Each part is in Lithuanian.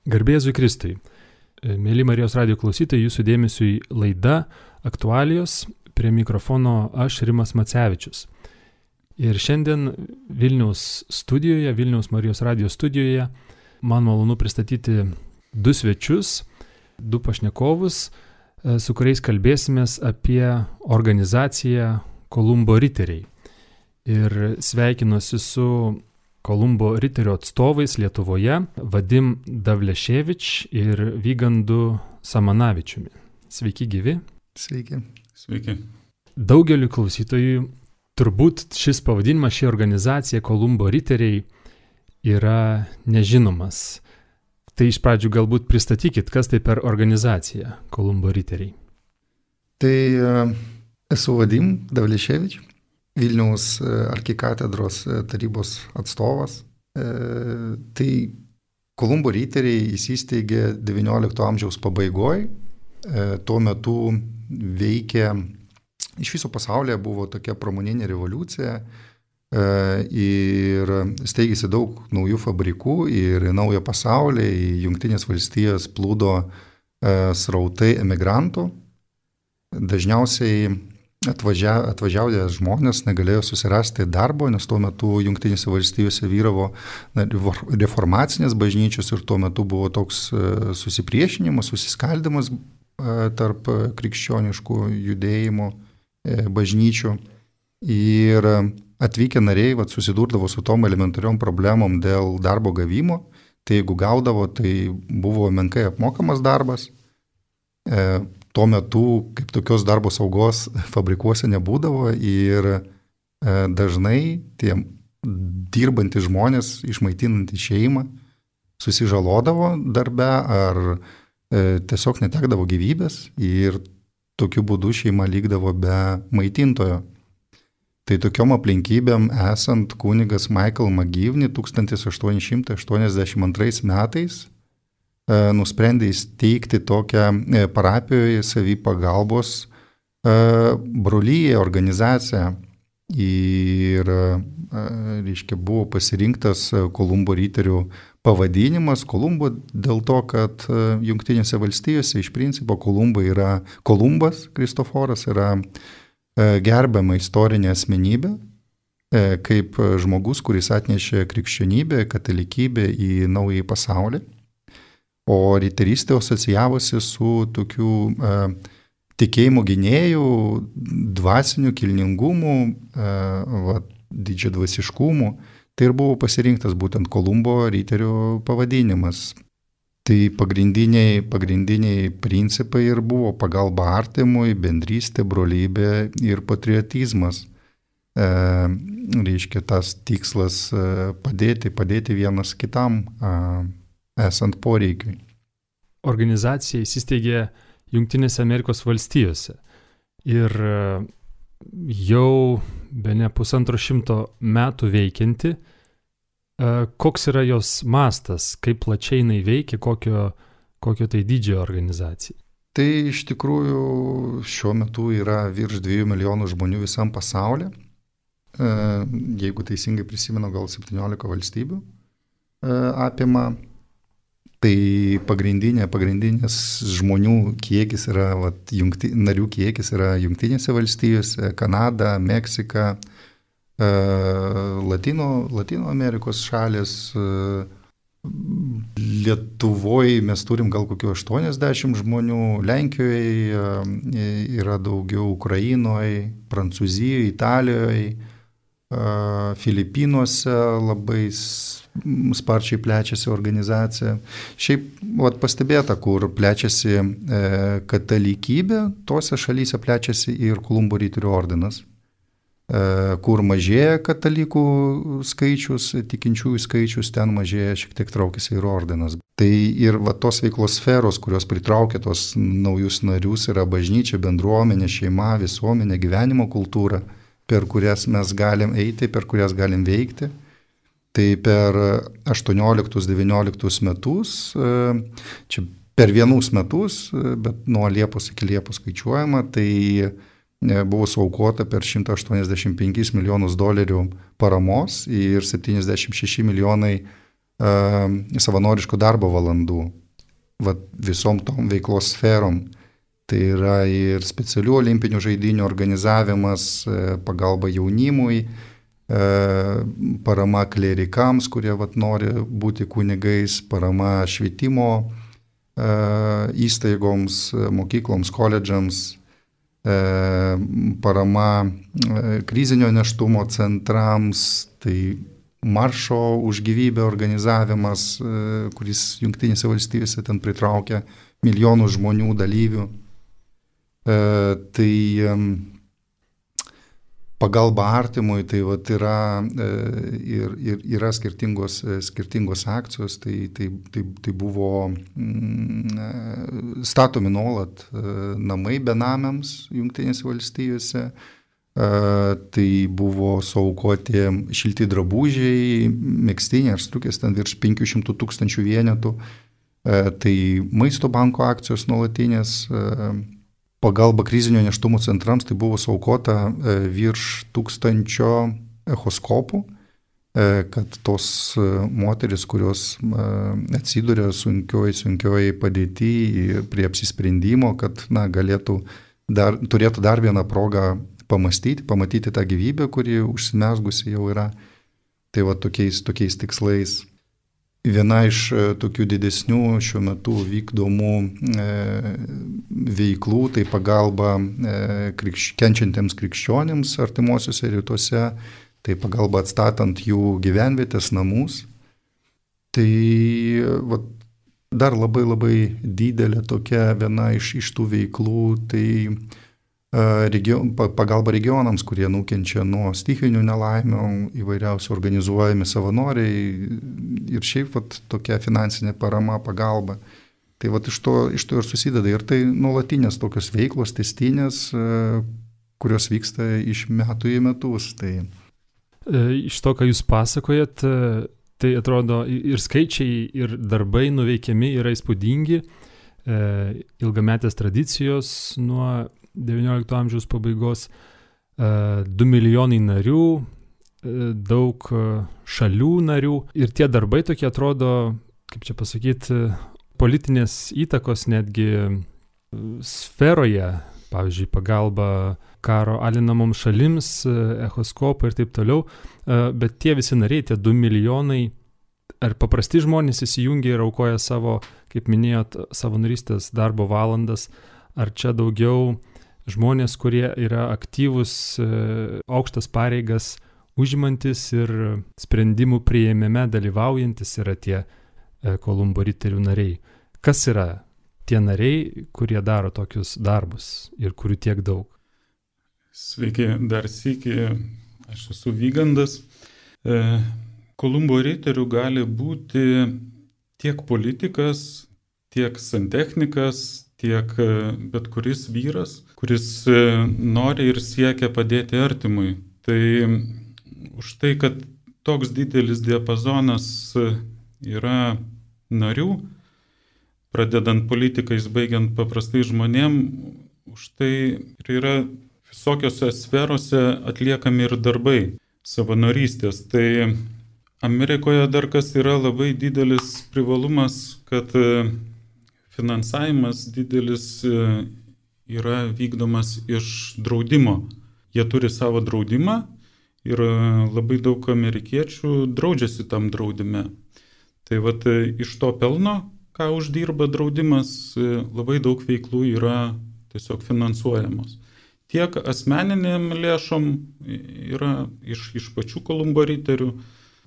Garbė Jėzui Kristui. Mėly Marijos radijo klausytojai, jūsų dėmesiui laida Aktualijos, prie mikrofono aš Rimas Macevičius. Ir šiandien Vilniaus Marijos radijo studijoje, man malonu pristatyti du svečius, du pašnekovus, su kuriais kalbėsimės apie organizaciją Kolumbo riteriai. Ir sveikinuosi su Kolumbo riterio atstovais Lietuvoje, Vadim Davleševič ir Vygandu Samanavičiumi. Sveiki gyvi. Sveiki. Sveiki. Daugeliu klausytojų turbūt šis pavadinimas, ši organizacija Kolumbo riteriai yra nežinomas. Tai iš pradžių galbūt pristatykit, kas tai per organizacija Kolumbo riteriai. Tai esu Vadim Davleševič, Vilniaus arkikatedros tarybos atstovas. Tai Kolumbo riteriai įsisteigė XIX amžiaus pabaigoje. Tuo metu veikė, iš viso pasaulyje buvo tokia pramoninė revoliucija ir steigėsi daug naujų fabrikų ir į naują pasaulį, į Jungtinės valstijas plūdo srautai emigrantų. Dažniausiai atvažiavę žmonės negalėjo susirasti darbo, nes tuo metu Jungtinėse valstijose vyravo reformacinės bažnyčios ir tuo metu buvo toks susipriešinimas, susiskaldimas tarp krikščioniškų judėjimų bažnyčių. Ir atvykę nariai susidurdavo su tom elementariom problemom dėl darbo gavimo. Tai jeigu gaudavo, tai buvo menkai apmokamas darbas. Tuo metu, kaip tokios darbo saugos fabrikuose nebūdavo ir dažnai tie dirbantys žmonės, išmaitinantys šeimą, susižalodavo darbe ar tiesiog netekdavo gyvybės ir tokiu būdu šeima likdavo be maitintojo. Tai tokiom aplinkybėm esant kunigas Michael McGivney 1882 metais nusprendė įsteigti tokią parapijoje savipagalbos brolyje organizaciją ir buvo pasirinktas Kolumbo riterių pavadinimas. Kolumbo dėl to, kad Jungtinėse valstijose iš principo Kolumbas Kristoforas yra gerbiama istorinė asmenybė, kaip žmogus, kuris atnešė krikščionybę, katalikybę į naująjį pasaulį. O riterystė asocijavosi su tokiu tikėjimo gynėjų, dvasiniu kilningumu, didžiadvasiškumu. Tai ir buvo pasirinktas būtent Kolumbo riterių pavadinimas. Tai pagrindiniai principai ir buvo pagalba artimui, bendrystė, brolybė ir patriotizmas. Tas tikslas padėti vienas kitam esant poreikiui. Organizacija įsisteigė Jungtinėse Amerikos valstijose ir jau bene 150 metų veikianti. Koks yra jos mastas, kaip plačiai jinai veikia, kokio tai dydžio organizacija? Tai iš tikrųjų šiuo metu yra virš 2 milijonų žmonių visam pasaulyje. Jeigu teisingai prisimenu, gal 17 valstybių apima. Tai pagrindinis žmonių kiekis yra, narių kiekis yra Jungtinėse valstijose, Kanada, Meksika, Latino Amerikos šalis. Lietuvoje mes turim gal kokių 80 žmonių, Lenkijoje yra daugiau, Ukrainoje, Prancūzijoje, Italijoje, Filipinuose labai sparčiai plečiasi organizacija. Šiaip pastebėta, kur plečiasi katalikybė, tose šalyse plečiasi ir Kolumbo riterių ordinas. Kur mažėja katalikų skaičius, tikinčiųjų skaičius, ten mažėja, šiek tiek traukiasi ir ordinas. Tai ir tos veiklos sferos, kurios pritraukia tos naujus narius, yra bažnyčia, bendruomenė, šeima, visuomenė, gyvenimo kultūra, per kurias mes galim eiti, per kurias galim veikti. Tai per 18-19 metus, čia per vienus metus, bet nuo Liepos iki Liepos skaičiuojama, tai buvo suaukota per $185 milijonus paramos ir 76 milijonai savanoriškų darbo valandų visom tom veiklos sferom. Tai yra ir specialių olimpinių žaidynių organizavimas, pagalba jaunimui, parama klerikams, kurie nori būti kunigais, parama švietimo įstaigoms, mokykloms, koledžams, parama krizinio nėštumo centrams, tai maršo už gyvybę organizavimas, kuris Jungtinėse valstijose ten pritraukia milijonų žmonių dalyvių. Tai pagalba artimui, tai yra skirtingos akcijos, tai buvo statomi nuolat namai benamiams Jungtinėse valstijose, tai buvo suaukoti šilti drabužiai, megztiniai ar striukės, ten virš 500 000 vienetų, tai maisto banko akcijos nuolatinės, pagalba krizinio nėštumo centrams, tai buvo suaukota virš 1000 echoskopų, kad tos moteris, kurios atsiduria sunkioj padėty prie apsisprendimo, kad turėtų dar vieną progą pamatyti tą gyvybę, kuri užsimezgusi jau yra. Tai tokiais tikslais. Viena iš tokių didesnių šiuo metu vykdomų veiklų, tai pagalba kenčiantiems krikščionėms artimuosiuose rytuose, tai pagalba atstatant jų gyvenvietės, namus. Tai dar labai didelė tokia viena iš tų veiklų, tai pagalba regionams, kurie nukenčia nuo stichinių nelaimių, įvairiausių organizuojami savanoriai ir šiaip tokia finansinė parama, pagalba. Tai iš to ir susideda. Ir tai nuolatinės tokios veiklos, testinės, kurios vyksta iš metų į metus. Tai... Iš to, ką jūs pasakojat, tai atrodo ir skaičiai, ir darbai nuveikiami yra įspūdingi, ilgametės tradicijos nuo XIX amžiaus pabaigos, 2 milijonai narių, daug šalių narių ir tie darbai tokie atrodo, kaip čia pasakyti, politinės įtakos netgi sferoje, pavyzdžiui, pagalba karo alinamoms šalims, echoskopai ir taip toliau, bet tie visi nariai, tie 2 milijonai, ar paprasti žmonės įsijungia ir aukoja savo, kaip minėjot, savanorystės darbo valandas, ar čia daugiau žmonės, kurie yra aktyvus, aukštas pareigas užimantis ir sprendimų priėmime dalyvaujantis yra tie Kolumbo riterių nariai. Kas yra tie nariai, kurie daro tokius darbus ir kurių tiek daug? Sveiki, dar sykį, aš esu Vygandas. Kolumbo riterių gali būti tiek politikas, tiek santechnikas, tiek bet kuris vyras, kuris nori ir siekia padėti artimui. Tai už tai, kad toks didelis diapazonas yra narių, pradedant politikais, baigiant paprastai žmonėm, už tai yra visokiose sferose atliekami ir darbai savanorystės. Tai Amerikoje dar kas yra labai didelis privalumas, kad finansavimas didelis yra vykdomas iš draudimo. Jie turi savo draudimą ir labai daug amerikiečių draudžiasi tam draudime. Tai iš to pelno, ką uždirba draudimas, labai daug veiklų yra tiesiog finansuojamos. Tiek asmeniniam lėšom yra iš pačių Kolumbo riterių,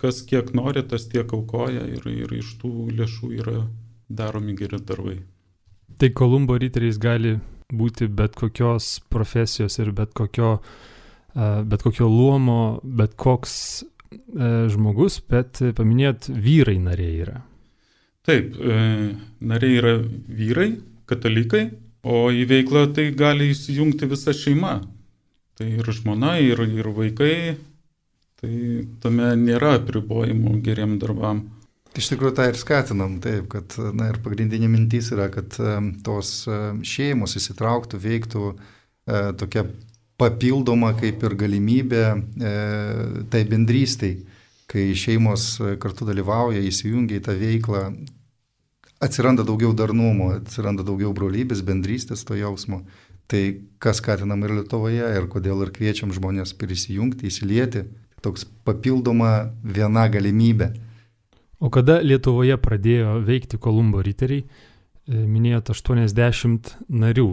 kas kiek nori, tas tiek aukoja ir iš tų lėšų yra daromi geri darbai. Tai Kolumbo riteriais gali būti bet kokios profesijos ir bet kokio luomo, bet koks žmogus, bet paminėjot, vyrai nariai yra. Taip, nariai yra vyrai, katalikai, o į veiklą tai gali įsijungti visa šeima. Tai ir žmona, ir vaikai, tai tame nėra apribojimų geriem darbam. Iš tikrųjų, tą ir skatinam, taip, kad ir pagrindinė mintis yra, kad tos šeimos įsitrauktų, veiktų tokia papildoma kaip ir galimybė tai bendrystei. kai šeimos kartu dalyvauja, įsijungia į tą veiklą, atsiranda daugiau darnumo, atsiranda daugiau brolybės, bendrystės to jausmo. Tai kas skatinam ir Lietuvoje, ir kodėl ir kviečiam žmonės prisijungti, įsilieti, toks papildoma viena galimybė. O kada Lietuvoje pradėjo veikti Kolumbo riteriai, minėjot 80 narių,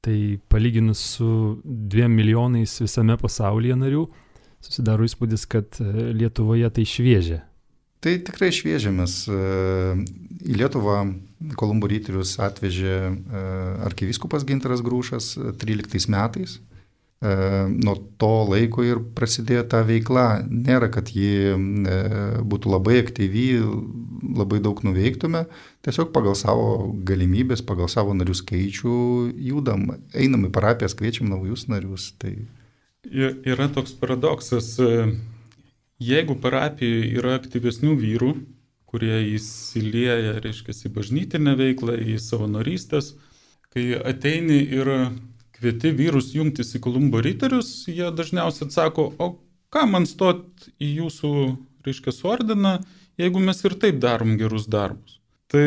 tai palyginus su 2 milijonais visame pasaulyje narių, susidaro įspūdis, kad Lietuvoje tai šviežia. Tai tikrai šviežia, mes į Lietuvą Kolumbo riterius atvežė arkivyskupas Gintaras Grušas 13 metais. Nuo to laiko ir prasidėjo ta veikla. Nėra, kad ji būtų labai aktyvi, labai daug nuveiktume. Tiesiog pagal savo galimybės, pagal savo narių skaičių judam. Einam į parapijas, kviečiam naujus narius. Tai... Yra toks paradoksas. Jeigu parapijoje yra aktyvesnių vyrų, kurie įsilieja, reiškia, į bažnytinę veiklą, į savanorystės, kai ateini ir kvieti vyrus jungtis į Kolumbo riterius, jie dažniausiai atsako, o ką man stot į jūsų, reiškia, ordiną, jeigu mes ir taip darom gerus darbus. Tai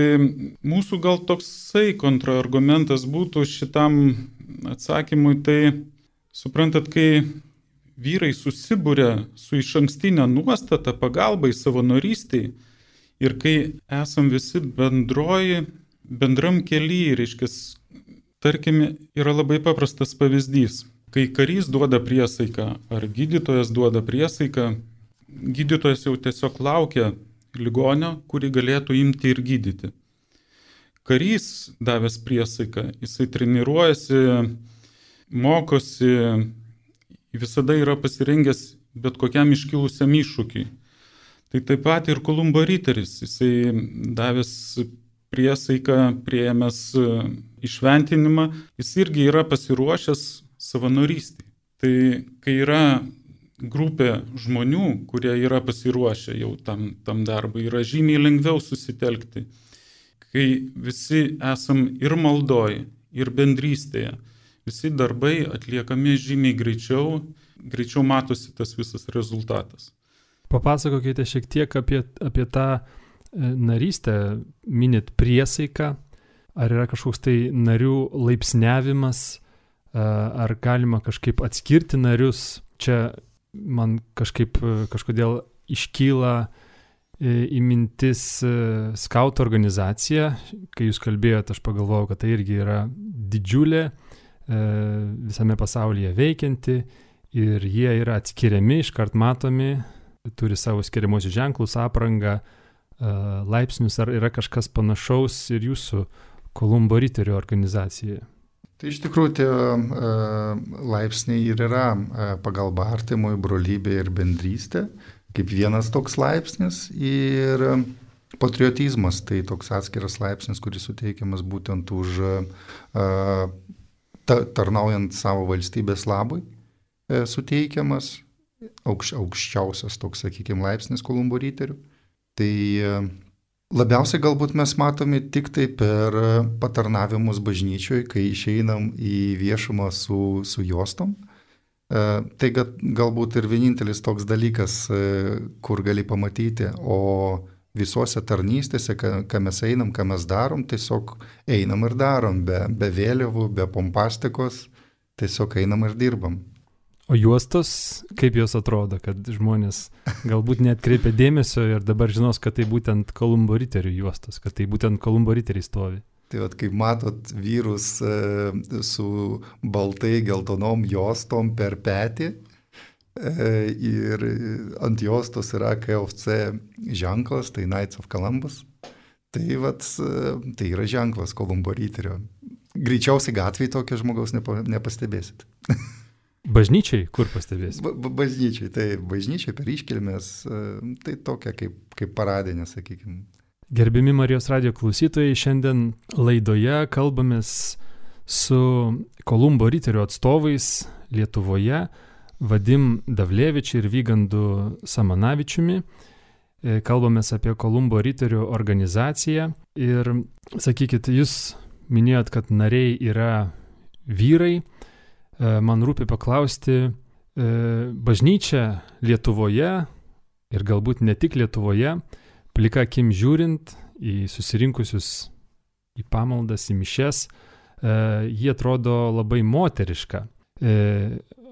mūsų gal toksai kontraargumentas būtų šitam atsakymui, tai suprantat, kai vyrai susibūrė su išankstinė nuostata pagalbai savanorystiai ir kai esam visi bendram kely, reiškia, tarkime, yra labai paprastas pavyzdys. Kai karys duoda priesaiką ar gydytojas duoda priesaiką, gydytojas jau tiesiog laukia ligonio, kurį galėtų imti ir gydyti. Karys davęs priesaiką, jisai treniruojasi, mokosi, visada yra pasirengęs bet kokiam iškilusiam iššūkiui. Tai taip pat ir Kolumbo riteris, jisai davęs priesaiką, priėmęs įšventinimą, jis irgi yra pasiruošęs savanorystei. Tai kai yra grupė žmonių, kurie yra pasiruošę jau tam darbui, yra žymiai lengviau susitelkti. Kai visi esam ir maldoj, ir bendrystėje, visi darbai atliekami žymiai greičiau matosi tas visas rezultatas. Papasakokite šiek tiek apie tą narystę, minit priesaiką, ar yra kažkoks tai narių laipsniavimas, ar galima kažkaip atskirti narius. Čia man kažkodėl iškyla į mintis skautų organizacija. Kai jūs kalbėjote, aš pagalvojau, kad tai irgi yra didžiulė, visame pasaulyje veikianti ir jie yra atskiriami, iškart matomi, turi savo skiriamosius ženklus, aprangą, laipsnius, ar yra kažkas panašaus ir jūsų Kolumbo riterių organizacijoje? Tai iš tikrųjų tie laipsniai ir yra pagalba artimui, brolybė ir bendrystė, kaip vienas toks laipsnis, ir patriotizmas, tai toks atskiras laipsnis, kuris suteikiamas būtent už tarnaujant savo valstybės labui, suteikiamas aukščiausias toks, sakykime, laipsnis Kolumbo riterių. Tai labiausiai galbūt mes matome tik tai per patarnavimus bažnyčioje, kai išeinam į viešumą su juostom. Tai galbūt ir vienintelis toks dalykas, kur gali pamatyti, o visose tarnystėse, ką mes einam, ką mes darom, tiesiog einam ir darom, be vėliavų, be pompastikos, tiesiog einam ir dirbam. O juostos, kaip jos atrodo, kad žmonės galbūt neatkreipia dėmesio ir dabar žinos, kad tai būtent Kolumbo riterių juostos, kad tai būtent Kolumbo riteriai stovi? Tai vat, kaip matot vyrus su baltai geltonom juostom per petį, ir ant juostos yra KFC ženklas, tai Knights of Columbus. Tai yra ženklas Kolumbo riterio. Greičiausiai gatvėje tokio žmogaus nepastebėsit. Bažnyčiai kur pastebėsit? Bažnyčiai, tai bažnyčiai per iškilmės, tai tokia kaip paradinė, sakykime. Gerbiami Marijos radijo klausytojai, šiandien laidoje kalbamės su Kolumbo riterių atstovais Lietuvoje, Vadim Davlevičiu ir Vygandu Samanavičiumi. Kalbamės apie Kolumbo riterių organizaciją ir sakykit, jūs minėjot, kad nariai yra vyrai. Man rūpi paklausti, bažnyčia Lietuvoje Ir galbūt ne tik Lietuvoje, plika akim žiūrint į susirinkusius į pamaldas, į mišes, jie atrodo labai moteriška.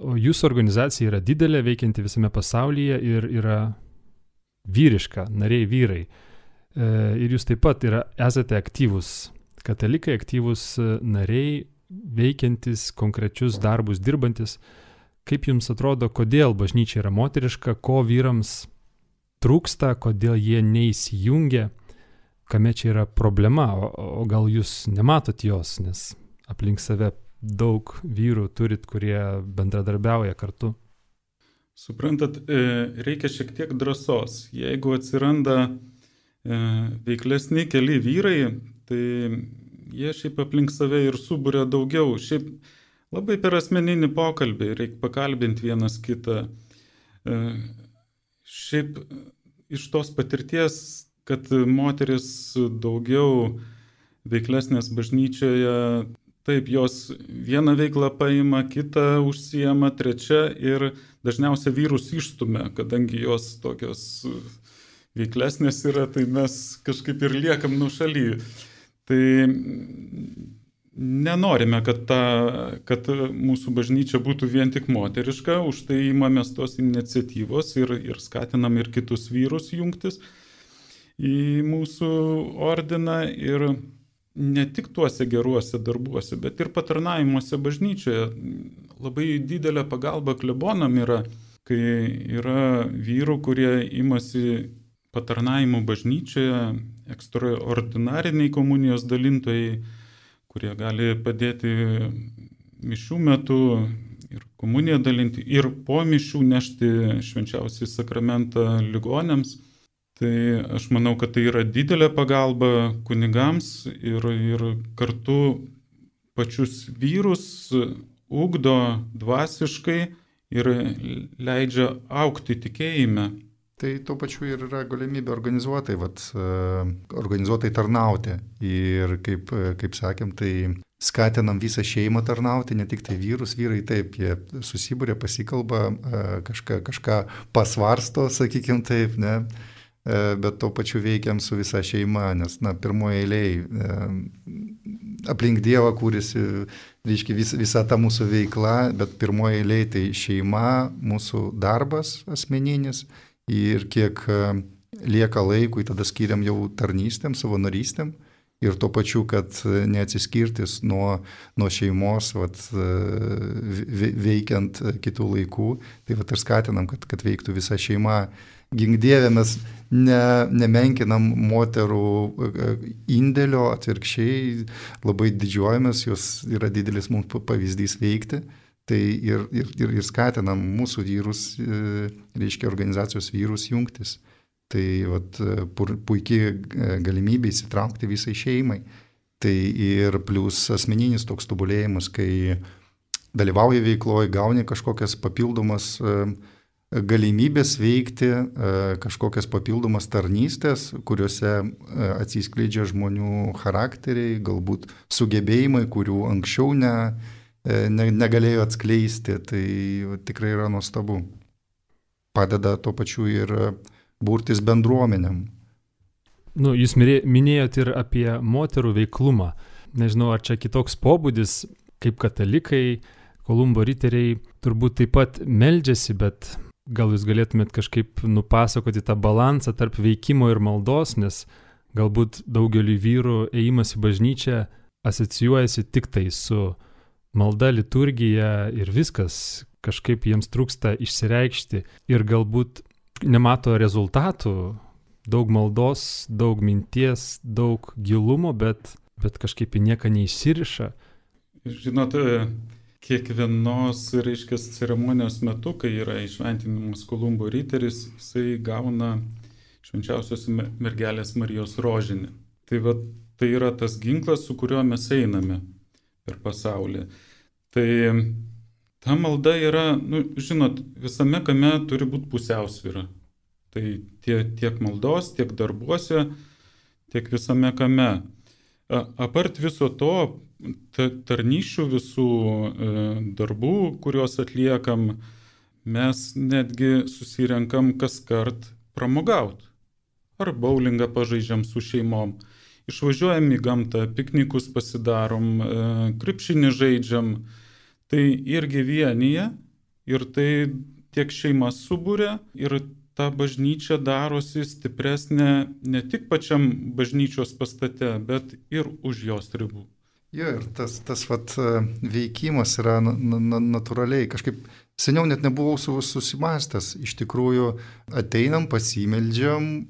O jūsų organizacija yra didelė, veikianti visame pasaulyje ir yra vyriška, nariai vyrai. Ir jūs taip pat esate aktyvūs katalikai, aktyvūs nariai, veikiantis konkrečius darbus, dirbantis. Kaip jums atrodo, kodėl bažnyčia yra moteriška, ko vyrams trūksta, kodėl jie neįsijungia, kame čia yra problema, o gal jūs nematot jos, nes aplink save daug vyrų turit, kurie bendradarbiauja kartu? Suprantat, reikia šiek tiek drąsos. Jeigu atsiranda veiklesni keli vyrai, tai jie šiaip aplink save ir suburia daugiau. Šiaip labai per asmeninį pokalbį reikia pakalbinti vienas kitą. Šiaip iš tos patirties, kad moteris daugiau veiklesnės bažnyčioje, taip, jos vieną veiklą paima, kitą užsiema, trečią ir dažniausiai vyrus išstumia, kadangi jos tokios veiklesnės yra, tai mes kažkaip ir liekam nuošaly. Tai nenorime, kad mūsų bažnyčia būtų vien tik moteriška, už tai imamės tos iniciatyvos ir skatinam ir kitus vyrus jungtis į mūsų ordiną ir ne tik tuose geruose darbuose, bet ir patarnavimuose bažnyčioje. Labai didelė pagalba klebonam yra, kai yra vyrų, kurie imasi patarnavimų bažnyčioje, ekstraordinariniai komunijos dalintojai, kurie gali padėti mišių metu ir komuniją dalinti, ir po mišių nešti švenčiausią sakramentą ligoniams. Tai aš manau, kad tai yra didelė pagalba kunigams ir kartu pačius vyrus ugdo dvasiškai ir leidžia augti tikėjime. Tai tuo pačiu ir yra galimybė organizuotai tarnauti. Ir kaip sakėm, tai skatinam visą šeimą tarnauti, ne tik tai vyrus. Vyrai taip, jie susibūrė, pasikalba, kažką pasvarsto, sakykim taip, ne? Bet tuo pačiu veikiam su visa šeima, nes, pirmoje eilėje aplink Dievą kūrėsi, reiškia, visa ta mūsų veikla, bet pirmoje eilėje tai šeima, mūsų darbas asmeninis ir kiek lieka laikui, tada skiriam jau tarnystėm, savanorystėm ir tuo pačiu, kad neatsiskirtis nuo šeimos, veikiant kitų laikų, tai ir skatinam, kad veiktų visa šeima. Gink Dieve, mes nemenkinam moterų indėlio, atvirkščiai labai didžiuojamės, jos yra didelis mums pavyzdys veikti. Tai ir skatinam mūsų vyrus, reiškia organizacijos vyrus jungtis. Tai puikiai galimybė įsitraukti visai šeimai. Tai ir plus asmeninis toks tobulėjimas, kai dalyvauji veikloje, gauni kažkokias papildomas galimybės veikti, kažkokias papildomas tarnystės, kuriuose atsiskleidžia žmonių charakteriai, galbūt sugebėjimai, kurių anksčiau negalėjo atskleisti, tai tikrai yra nuostabu. Padeda tuo pačiu ir burtis bendruomenėm. Jūs minėjot ir apie moterų veiklumą. Nežinau, ar čia kitoks pobūdis, kaip katalikai, Kolumbo riteriai turbūt taip pat meldžiasi, bet gal jūs galėtumėt kažkaip nupasakoti tą balansą tarp veikimo ir maldos, nes galbūt daugeliu vyrų ėjimas į bažnyčią asocijuojasi tik tai su malda, liturgija ir viskas, kažkaip jiems trūksta išsireikšti ir galbūt nemato rezultatų, daug maldos, daug minties, daug gilumo, bet kažkaip į nieką neįsiriša. Žinot, kiekvienos, reiškia, ceremonijos metu, kai yra įšventinamas Kolumbo riteris, jisai gauna švenčiausios mergelės Marijos rožinį. Tai yra tas ginklas, su kuriuo mes einame per pasaulį. Tai ta malda yra, žinot, visame kame turi būti pusiausvyra. Tai tiek maldos, tiek darbuose, tiek visame kame. Apart viso to, tarnysčių visų darbų, kuriuos atliekam, mes netgi susirenkam kas kart pramogauti. Ar bowlingą pažaidžiam su šeimom, išvažiuojam į gamtą, piknikus pasidarom, krepšinį žaidžiam. Tai irgi vienyje ir tai tiek šeimas subūrė ir ta bažnyčia darosi stipresnė ne tik pačiam bažnyčios pastate, bet ir už jos ribų. Jo, ir tas veikimas yra natūraliai. Kažkaip seniau net nebuvau susimastęs. Iš tikrųjų ateinam, pasimeldžiam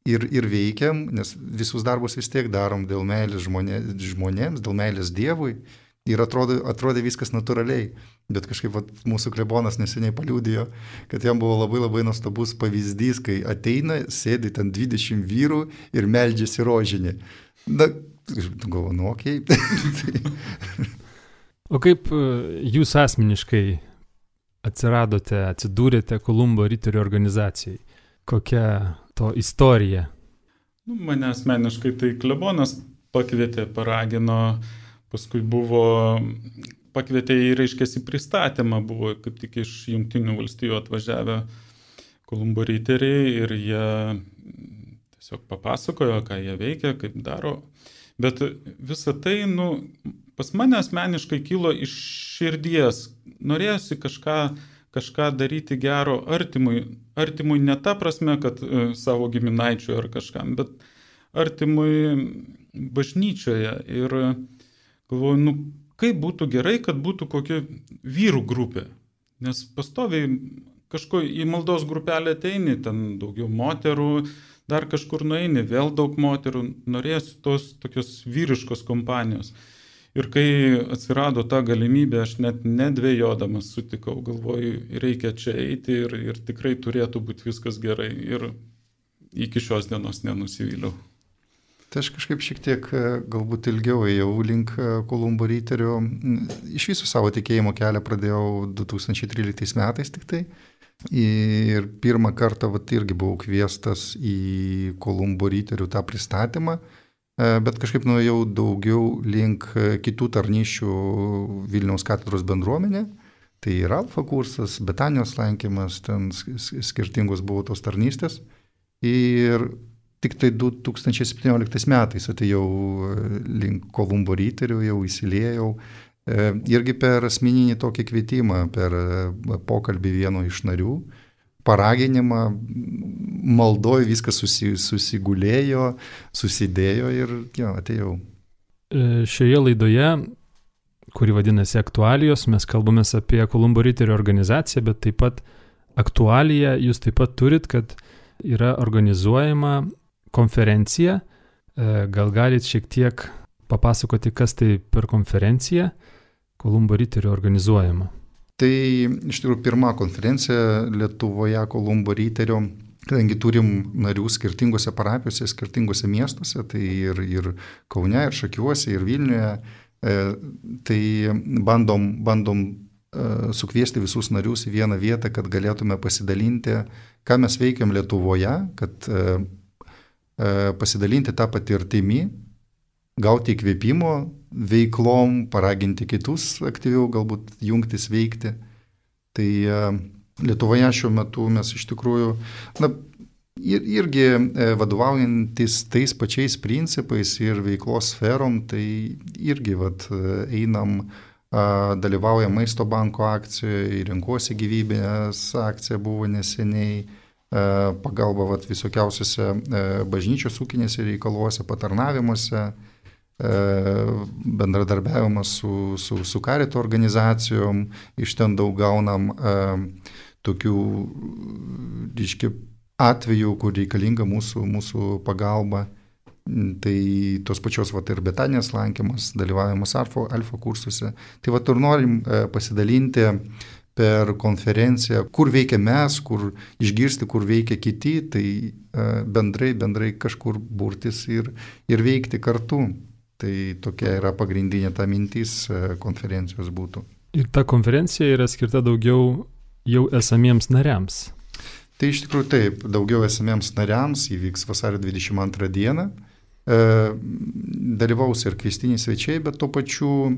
ir veikiam, nes visus darbus vis tiek darom dėl meilės žmonėms, dėl meilės Dievui. Ir atrodė viskas natūraliai. Bet kažkaip mūsų klebonas neseniai paliudijo, kad jam buvo labai labai nuostabus pavyzdys, kai ateina, sėdi ten 20 vyrų ir meldžiasi rožinį. Na, galvoju, okei. O kaip jūs asmeniškai atsidūrėte Kolumbo riterių organizacijai? Kokia to istorija? Mane asmeniškai tai klebonas pakvietė, paragino, paskui pakvietė į, reiškiasi, pristatymą, buvo kaip tik iš Jungtinių valstijų atvažiavę Kolumbo riteriai ir jie tiesiog papasakojo, ką jie veikia, kaip daro. Bet visa tai, pas mane asmeniškai kilo iš širdies. Norėjusi kažką daryti gero artimui. Artimui ne ta prasme, kad savo giminaičiui ar kažkam, bet artimui bažnyčioje. Ir galvoju, kaip būtų gerai, kad būtų kokia vyrų grupė. Nes pastoviai į maldos grupelę ateini, ten daugiau moterų, dar kažkur nueini, vėl daug moterų, norėsiu tos tokios vyriškos kompanijos. Ir kai atsirado ta galimybė, aš net nedvėjodamas sutikau, galvoju, reikia čia eiti ir tikrai turėtų būti viskas gerai. Ir iki šios dienos nenusivyliau. Tai aš kažkaip šiek tiek galbūt ilgiau ėjau link Kolumbo riterių. Iš viso savo tikėjimo kelią pradėjau 2013 metais tik tai. Ir pirmą kartą irgi buvau kviestas į Kolumbo riterių tą pristatymą, bet kažkaip nuėjau daugiau link kitų tarnyšių Vilniaus katedros bendruomenė. Tai ir alfa kursas, Betanijos lankymas, ten skirtingos buvo tos tarnystės. Ir tik tai 2017 metais atėjau link Kolumbo riterių, jau įsiliejau. Irgi per asmeninį tokį kvietimą, per pokalbį vieno iš narių, paraginimą, maldoj viskas susigulėjo, susidėjo ir atėjau. Šioje laidoje, kuri vadinasi Aktualijos, mes kalbamės apie Kolumbo riterių organizaciją, bet taip pat aktualiją jūs taip pat turit, kad yra organizuojama konferencija. Gal galit šiek tiek papasakoti, kas tai per konferencija Kolumbo riterių organizuojama? Tai iš tikrųjų pirma konferencija Lietuvoje Kolumbo riterių, kadangi turim narių skirtingose parapijose, skirtingose miestuose, tai ir Kaune, ir Šakiuose, ir Vilniuje, tai bandom sukviesti visus narius į vieną vietą, kad galėtume pasidalinti, ką mes veikiam Lietuvoje, kad pasidalinti tą patirtimį, gauti įkvėpimo veiklom, paraginti kitus aktyviau galbūt jungtis veikti. Tai Lietuvoje šiuo metu mes iš tikrųjų irgi vadovaujantis tais pačiais principais ir veiklos sferom, tai irgi einam, dalyvaujam Maisto banko akcijoje, Renkuosi gyvybės akcija buvo neseniai, pagalba visokiausiose bažnyčios ūkinėse reikaluose, patarnavimuose, bendradarbiavimas su karito organizacijom, iš ten daug gaunam tokių atvejų, kur reikalinga mūsų pagalba. Tai tos pačios ir Betanijos lankymas, dalyvavimas alfa kursuose. Tai ir norim pasidalinti per konferenciją, kur veikia mes, kur išgirsti, kur veikia kiti, tai bendrai kažkur burtis ir veikti kartu. Tai tokia yra pagrindinė ta mintis konferencijos būtų. Ir ta konferencija yra skirta daugiau jau esamiems nariams. Tai iš tikrųjų taip, daugiau esamiems nariams įvyks vasario 22 dieną. Dalyvaus ir kviestiniai svečiai, bet tuo pačiu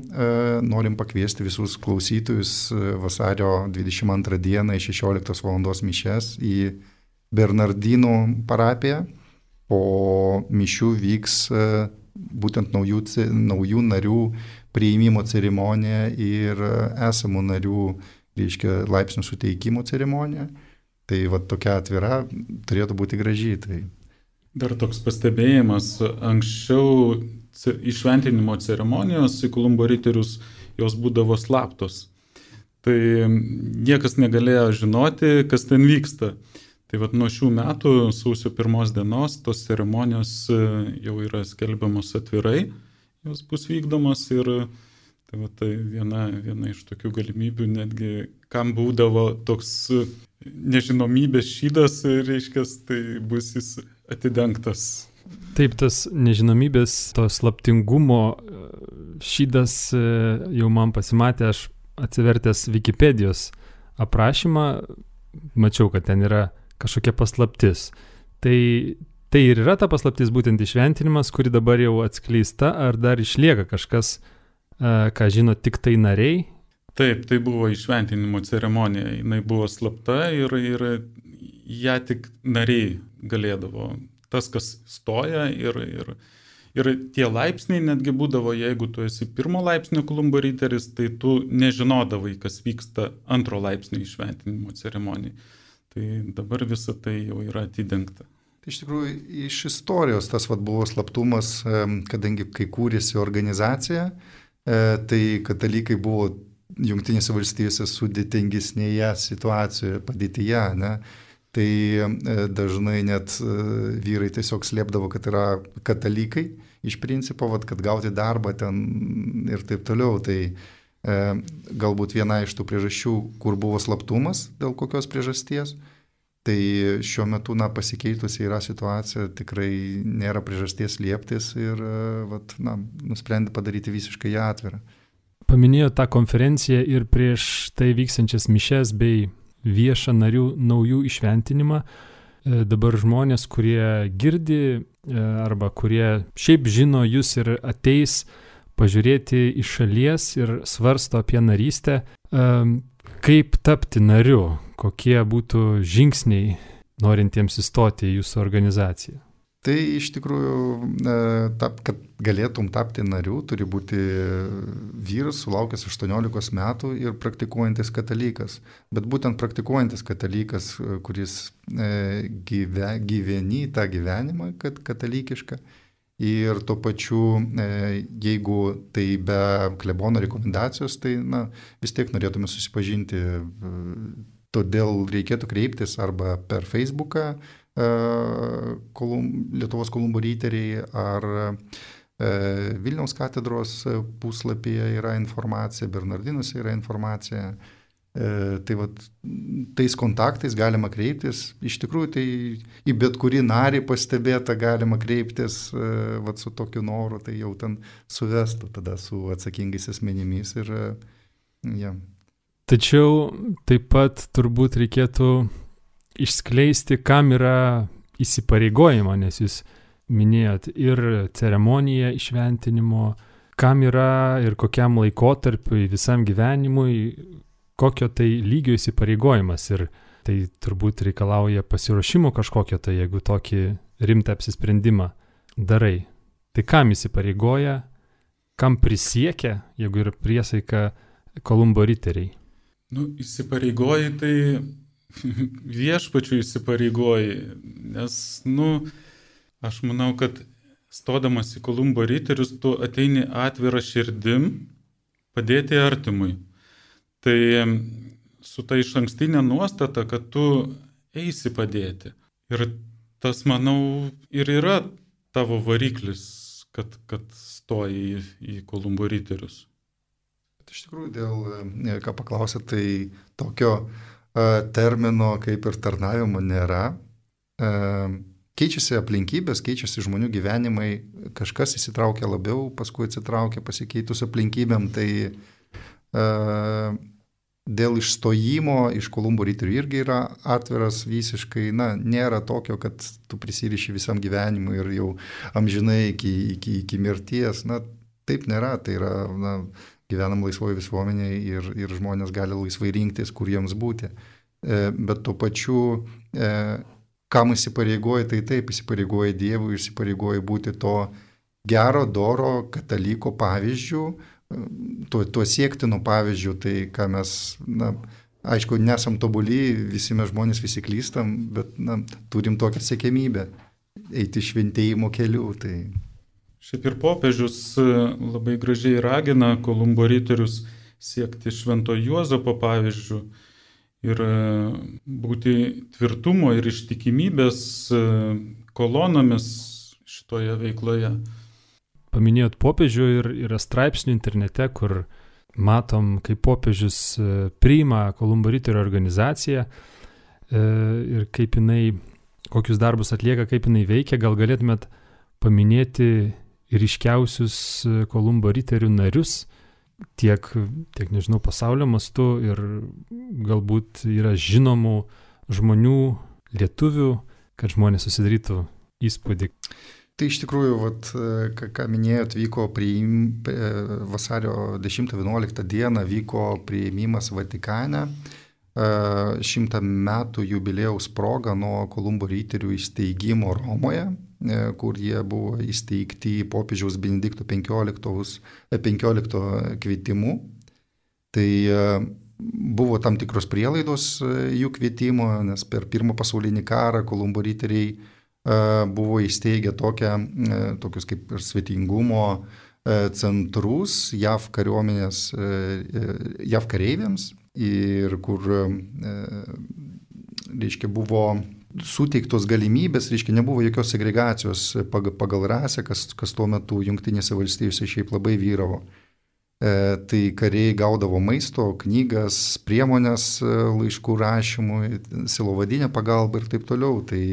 norim pakviesti visus klausytojus vasario 22 dieną į 16 val. Mišias į Bernardinų parapija, o mišių vyks būtent naujų narių priėmimo ceremonija ir esamų narių, reiškia, laipsnių suteikimo ceremonija. Tai va tokia atvira turėtų būti graži. Tai. Dar toks pastebėjimas, anksčiau įšventinimo ceremonijos į Kolumbo riterius jos būdavo slaptos. Tai niekas negalėjo žinoti, kas ten vyksta. Tai vat nuo šių metų, sausio 1 dienos, tos ceremonijos jau yra skelbiamos atvirai, jos bus vykdomos ir tai viena iš tokių galimybių, netgi kam būdavo toks nežinomybės šydas, reiškia, tai bus jis atidengtas. Taip, tas nežinomybės, to slaptingumo šydas jau man pasimatė, aš atsivertęs Wikipedijos aprašymą, mačiau, kad ten yra kažkokia paslaptis. Tai ir yra ta paslaptis būtent įšventinimas, kuri dabar jau atskleista, ar dar išlieka kažkas, ką žino tik tai nariai? Taip, tai buvo įšventinimo ceremonija, jinai buvo slapta ir ją tik nariai galėdavo. Tas, kas stoja ir tie laipsniai netgi būdavo, jeigu tu esi 1 laipsnio Kolumbo riteris, tai tu nežinodavai, kas vyksta 2 laipsnio įšventinimo ceremonijai. Tai dabar visa tai jau yra atidengta. Tai iš tikrųjų iš istorijos tas buvo slaptumas, kadangi kai kūrėsi organizacija, tai katalikai buvo Jungtinėse valstijose sudėtingesnėje situacijoje, padėtyje, ne? Tai dažnai net vyrai tiesiog slėpdavo, kad yra katalikai iš principo, kad gauti darbą ten ir taip toliau. Tai galbūt viena iš tų priežasčių, kur buvo slaptumas, dėl kokios priežasties, tai šiuo metu pasikeitusi yra situacija, tikrai nėra priežasties lieptis ir nusprendė padaryti visiškai ją atvirą. Paminėjo tą konferenciją ir prieš tai vykstančias mišes bei viešą narių naujų įšventinimą. Dabar žmonės, kurie girdi arba kurie šiaip žino jūs ir ateis pažiūrėti iš šalies ir svarsto apie narystę, kaip tapti nariu, kokie būtų žingsniai norintiems įstoti į jūsų organizaciją. Tai iš tikrųjų, kad galėtum tapti nariu, turi būti vyras sulaukęs 18 metų ir praktikuojantis katalikas. Bet būtent praktikuojantis katalikas, kuris gyveni tą gyvenimą katalikišką ir tuo pačiu, jeigu tai be klebono rekomendacijos, tai vis tiek norėtume susipažinti. Todėl reikėtų kreiptis arba per Facebooką, Lietuvos Kolumbo riteriai, ar Vilniaus katedros puslapyje yra informacija, Bernardinuose yra informacija. Tai tais kontaktais galima kreiptis. Iš tikrųjų, tai į bet kurį narį pastebėtą galima kreiptis su tokiu noru, tai jau ten suvestų tada su atsakingais asmenimis. Tačiau taip pat turbūt reikėtų išskleisti, kam yra įsipareigojama, nes jūs minėjot ir ceremoniją įšventinimo, kam yra ir kokiam laikotarpiui, visam gyvenimui, kokio tai lygio įsipareigojimas. Ir tai turbūt reikalauja pasiruošimo kažkokio, tai jeigu tokį rimtą apsisprendimą darai. Tai kam įsipareigoja, kam prisiekia, jeigu yra priesaika Kolumbo riteriai? Įsipareigoji, tai viešpačių įsipareigoji, nes, aš manau, kad stodamas į Kolumbo riterius, tu ateini atvirą širdim padėti artimui. Tai su ta išankstinė nuostata, kad tu eisi padėti. Ir tas, manau, ir yra tavo variklis, kad stoji į Kolumbo riterius. Iš tikrųjų, ką paklausė, tai tokio termino kaip ir tarnavimo nėra. Keičiasi aplinkybės, keičiasi žmonių gyvenimai, kažkas įsitraukia labiau, paskui atsitraukia pasikeitus aplinkybėm, tai dėl išstojimo iš Kolumbo riterių irgi yra atviras visiškai, nėra tokio, kad tu prisiriši visam gyvenimui ir jau amžinai iki mirties, taip nėra, tai yra, gyvenam laisvoje visuomenėje ir žmonės gali laisvai rinktis, kur jiems būti. Bet tuo pačiu kam įsipareigoja, tai taip, įsipareigoja Dievui, įsipareigoja būti to gero, doro kataliko pavyzdžių, tuo siektinu pavyzdžių, tai ką mes, aišku, nesam tobuli, visi mes žmonės, visi klystam, bet turim tokią siekiamybę eiti šventėjimo keliu. Tai... Šiaip ir popiežius labai gražiai ragina Kolumbo riterius siekti Švento Juozapo pavyzdžių ir būti tvirtumo ir ištikimybės kolonomis šitoje veikloje. Paminėjot popiežių ir yra straipsnių internete, kur matom, kaip popiežius priima Kolumbo riterių organizaciją ir kaip jinai, kokius darbus atlieka, kaip jinai veikia. Gal galėtumėt paminėti ryškiausius Kolumbo riterių narius, tiek nežinau, pasaulio mastu ir galbūt yra žinomų žmonių, lietuvių, kad žmonės susidarytų įspūdį. Tai iš tikrųjų, ką minėjot, vyko vasario 10-11 dieną vyko priėmimas Vatikane 100 metų jubiliejaus proga nuo Kolumbo riterių įsteigimo Romoje, kur jie buvo įsteigti popiežiaus Benedikto 15 kvietimu. Tai buvo tam tikros prielaidos jų kvietimo, nes per Pirmą pasaulinį karą Kolumbo riteriai buvo įsteigę tokius kaip ir svetingumo centrus JAV kareiviams ir kur, reiškia, buvo suteiktos galimybės, reiškia, nebuvo jokios segregacijos pagal rasę, kas tuo metu Jungtinėse valstijose šiaip labai vyravo. Tai kariai gaudavo maisto, knygas, priemonės laiškų rašymui, silovadinę pagalbą ir taip toliau. Tai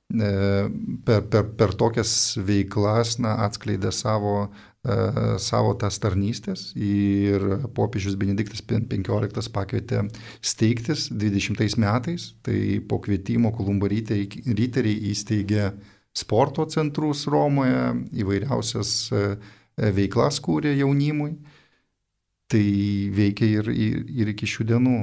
per tokias veiklas atskleidė savo tas tarnystės ir popiežius Benediktas XV pakvietė steigtis 20 metais. Tai po kvietimo Kolumbo riteriai įsteigė sporto centrus Romoje, įvairiausias veiklas kūrė jaunimui. Tai veikia ir iki šių dienų.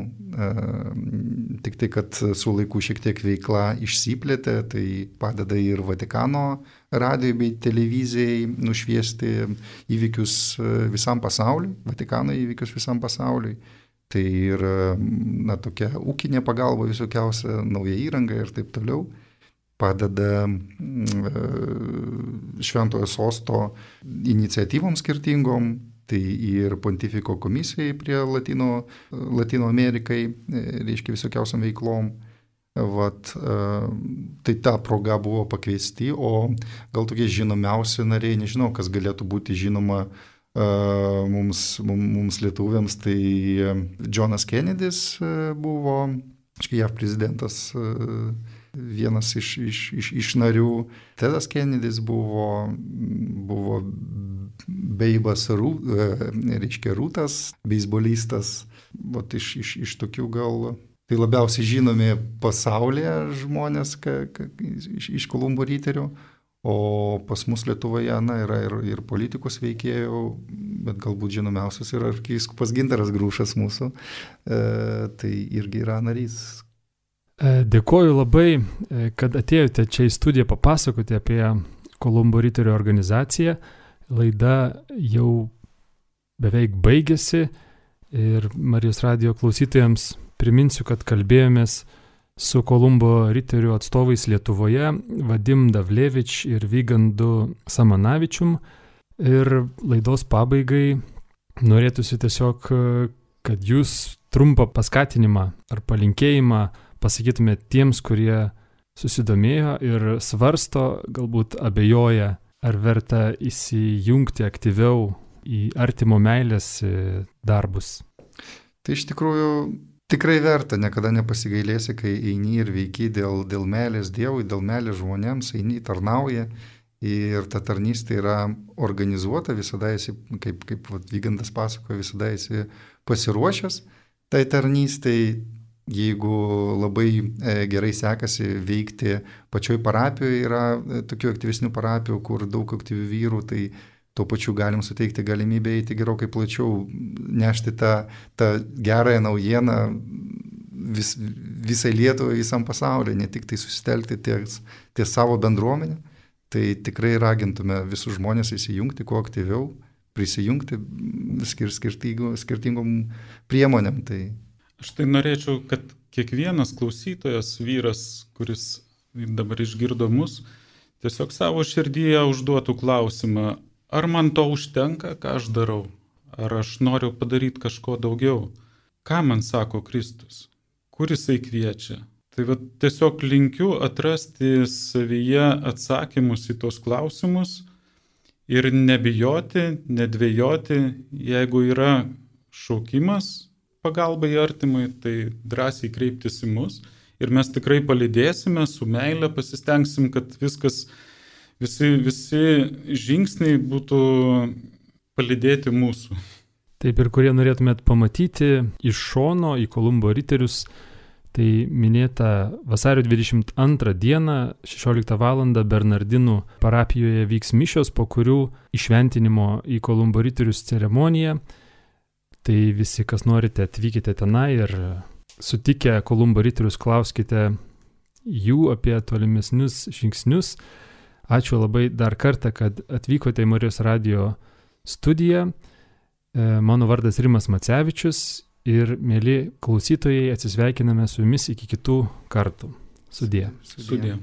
Tik tai, kad su laiku šiek tiek veikla išsiplėtė, tai padeda ir Vatikano radijai bei televizijai nušviesti įvykius visam pasauliui, Vatikano įvykius visam pasauliui. Tai ir tokia ūkinė pagalba visokiausia, nauja įranga ir taip toliau. Padeda Šventojo sosto iniciatyvom skirtingom, tai ir Pontifiko komisijai prie Latino Amerikai, reiškia visokiausiam veiklom. Tai ta proga buvo pakviesti, o gal tokie žinomiausi nariai, nežinau, kas galėtų būti žinoma mums lietuviams, tai Johnas Kennedys buvo, JAV prezidentas, vienas iš narių. Tedas Kennedys buvo Beibas Rūtas, beisbolistas. Iš tokių gal tai labiausiai žinomi pasaulyje žmonės iš Kolumbo riterių, o pas mus Lietuvoje yra ir politikos veikėjų, bet galbūt žinomiausias yra arkivyskupas Gintaras Grušas mūsų, tai irgi yra narys. Dėkoju labai, kad atėjote čia į studiją papasakoti apie Kolumbo riterių organizaciją. Laida jau beveik baigėsi ir Marijos radijo klausytojams priminsiu, kad kalbėjomės su Kolumbo riterių atstovais Lietuvoje, Vadim Davlevič ir Vygandu Samanavičium. Ir laidos pabaigai norėtųsi tiesiog, kad jūs trumpą paskatinimą ar palinkėjimą pasakytumėte tiems, kurie susidomėjo ir svarsto, galbūt abejoja, ar verta įsijungti aktyviau į artimo meilės darbus. Tai iš tikrųjų tikrai verta, niekada nepasigailėsi, kai eini ir veiki dėl meilės Dievui, dėl meilės žmonėms, eini, tarnauji ir ta tarnystė yra organizuota, visada esi, kaip Vygandas pasakoja, visada esi pasiruošęs tai tarnystei. Jeigu labai gerai sekasi veikti pačioj parapijoje, yra tokių aktyvesnių parapijų, kur daug aktyvių vyrų, tai tuo pačiu galim suteikti galimybę eiti gerokai plačiau, nešti tą gerąją naujieną visai Lietuvai, visam pasauliu, ne tik tai susitelkti ties savo bendruomenę. Tai tikrai ragintume visus žmonės įsijungti kuo aktyviau, prisijungti skirtingom priemonėm. Tai... Aš tai norėčiau, kad kiekvienas klausytojas, vyras, kuris dabar išgirdo mus, tiesiog savo širdyje užduotų klausimą, ar man to užtenka, ką aš darau, ar aš noriu padaryti kažko daugiau, ką man sako Kristus, kur jisai kviečia. Tai va, tiesiog linkiu atrasti savyje atsakymus į tos klausimus ir nebijoti, nedvejoti, jeigu yra šaukimas pagalbai artimui, tai drąsiai kreiptis į mus ir mes tikrai palydėsime, su meile pasistengsim, kad viskas, visi žingsniai būtų palydėti mūsų. Taip, ir kurie norėtumėt pamatyti iš šono į Kolumbo riterius, tai minėta vasario 22 dieną, 16 val. Bernardinų parapijoje vyks mišios, po kurių įšventinimo į Kolumbo riterius ceremonija. Tai visi, kas norite, atvykite tenai ir sutikę Kolumbo riterius klauskite jų apie tolimesnius žingsnius. Ačiū labai dar kartą, kad atvykote į Marijos radijo studiją. Mano vardas Rimas Macevičius ir, mėly klausytojai, atsisveikiname su jumis iki kitų kartų. Sudie. Sudie.